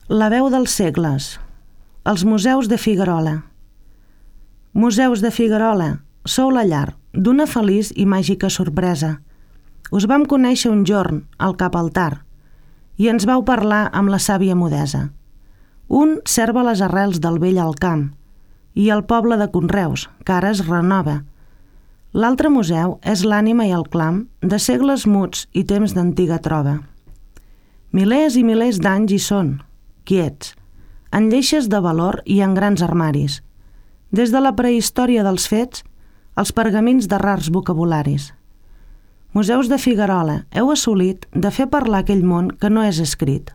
La veu dels segles. Els museus de Figuerola. Museus de Figuerola, sou la llar d'una feliç i màgica sorpresa. Us vam conèixer un jorn al cap altar i ens vau parlar amb la sàvia mudesa. Un serva les arrels del vell al camp i el poble de Conreus, que ara es renova. L'altre museu és l'ànima i el clam de segles muts i temps d'antiga trova. Milers i milers d'anys hi són, quiets, en lleixes de valor i en grans armaris, des de la prehistòria dels fets als pergamins de rars vocabularis. Museus de Figuerola, heu assolit de fer parlar aquell món que no és escrit.